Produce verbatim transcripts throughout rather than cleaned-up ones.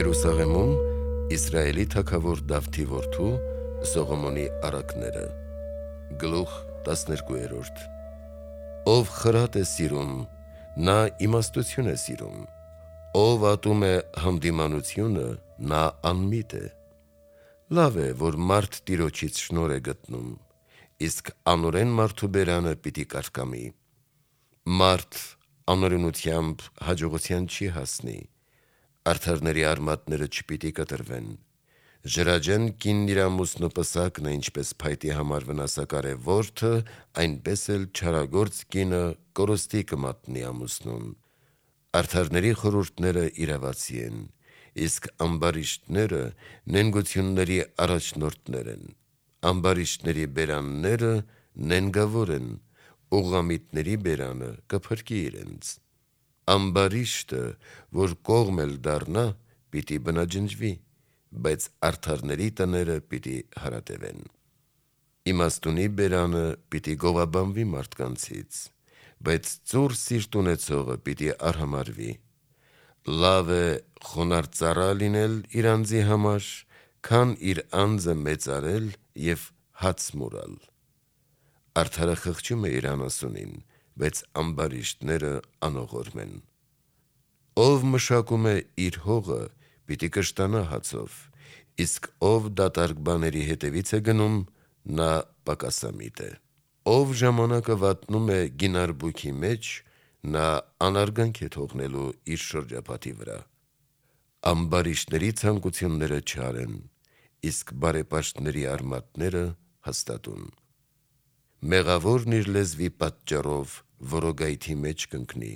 Երուսաղեմում Իսրայելի թագավոր Դավթի որդու Սողոմոնի առակները։ Գլուխ տասներկու։ Ով խրատ է սիրում, նա իմաստություն է սիրում, ով ատում է հանդիմանությունը, նա անմիտ է։ Լավ է, որ մարդ Տիրոջից շնորհ է գտնում, իսկ անօրեն մարդու բերանը պիտի կարկամի։ Մարդ անօրենությամբ հաջողության չի հասնի, արդարների արմատները չպիտի կտրվեն։ Ժրաջեն կինն իր ամուսնու պսակն է, ինչպես փայտի համար վնասակար է որդը, այնպես էլ չարագործ կինը կորստի կմատնի ամուսնուն։ Արդարների խորհուրդները իրավացի են, իսկ ամբարիշտները նենգությունների առաջնորդներ են։ Ամբարիշտների բերանները նենգավոր են, ուղղամիտների բերանը կփրկի իրենց։ Ամբարիշտը, որ կողմ էլ դառնա, պիտի բնաջնջվի, բայց արդարների տները պիտի հարատևեն։ Իմաստունի բերանը պիտի գովաբանվի մարդկանցից, բայց ծուռ սիրտ ունեցողը պիտի արհամարվի։ Լավ է խոնարհ ծառա լինել իր անձի համար, քան իր անձը մեծարել և հաց մուրալ։ Արդարը խղճում է իր անասունին, բայց ամբարիշտները անողորմ են։ Ով մշակում է իր հողը, պիտի կշտանա հացով, իսկ ով դատարկ բաների հետևից է գնում, նա պակասամիտ է։ Ով ժամանակը վատնում է գինարբուքի մեջ, նա անարգանք է թողնելու իր շրջապատի վրա։ Ամբարիշտների ցանկությունները չար են, իսկ բարեպաշտների արմատները հաստատուն։ Մեղավորն իր լեզվի պատճառով որոգայթի մեջ կընկնի,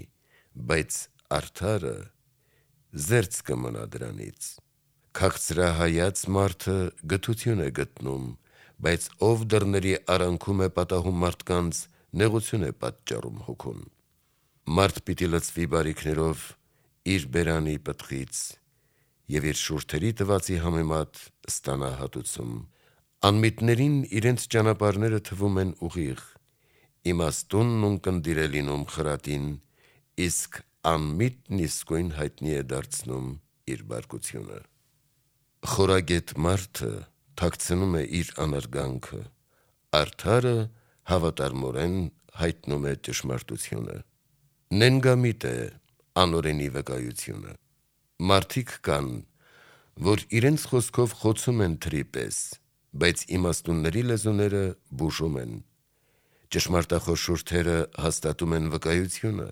բայց արդարը զերծ կմնա դրանից։ Քաղցրահայաց մարդը գթություն է գտնում, բայց ով դռների արանքում է պատահում մարդկանց, նեղություն է պատճառում հոգուն։ Մարդ պիտի լցվի բարիքներով իր բերանի պտղից և իր շուրթերի տվածի համեմատ ստանա հատուցում։ Անմիտներին իրենց ճանապարհները թվում են ուղիղ, իմաստունն ունկնդիր է լինում խրատին, իսկ անմիտն իսկույն հայտնի է դարձնում իր բարկությունը։ Խորագետ մարդը թաքցնում է իր անարգանքը, արդարը հավատարմորեն հայտնում է ճշմարտությունը։ Նենգամիտ է անօրենի վկայությունը։ Մարդիկ կան, որ իրենց խոսքով խոցում են թրի պես, բայց իմաստունների լեզուները բուժում են։ Ճշմարտախոս շուրթերը հաստատում են վկայությունը,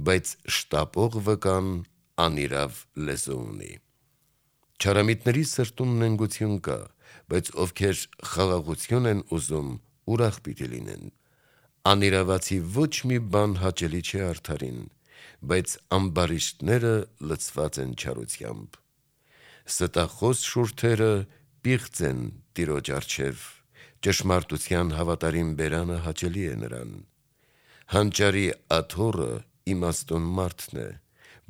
բայց շտապող վկան անիրավ լեզու ունի։ Չարամիտների սրտում նենգություն կա, բայց ովքեր խաղաղություն են ուզում, ուրախ պիտի լինեն։ Անիրավացի ոչ մի բան հաճելի չէ արդարին, բայց ամբարիշտները լցված են չարությամբ։ Ստախոս շուրթերը պիղծ են Տիրոջ առջև, ճշմարտության հավատարիմ բերանը հաճելի է նրան։ Հանճարի աթոռը իմաստուն մարդն է,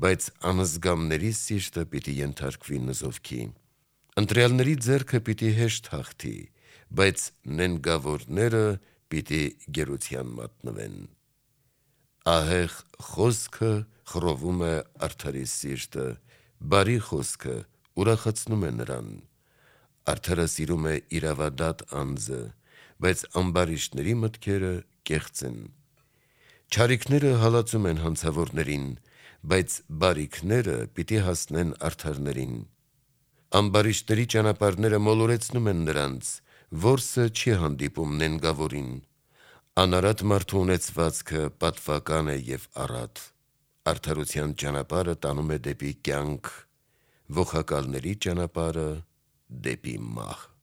բայց անզգամների սիրտը պիտի ենթարկվի նզովքի։ Ընտրյալների ձեռքը պիտի հեշտ հաղթի, բայց նենգավորները պիտի գերության մատնվեն։ Ահեղ խոսքը խռովում է արդարի սիրտը, բարի խոսքը ուրախացնում է նրան։ Արդարը սիրում է իրավադատ անձը, բայց ամբարիշտների մտքերը կեղծ են։ Չարիքները հալածում են հանցավորներին, բայց բարիքները պիտի հասնեն արդարներին։ Ամբարիշտների ճանապարհները մոլորեցնում են նրանց, որսը չի հանդիպում նենգավորին։ Անարատ մարդու ունեցվածքը պատվական է և առատ։ Արդարության ճանապարհը տանում է դեպի կյանք, ոխակալների ճանապարհը՝ դեպի մահ։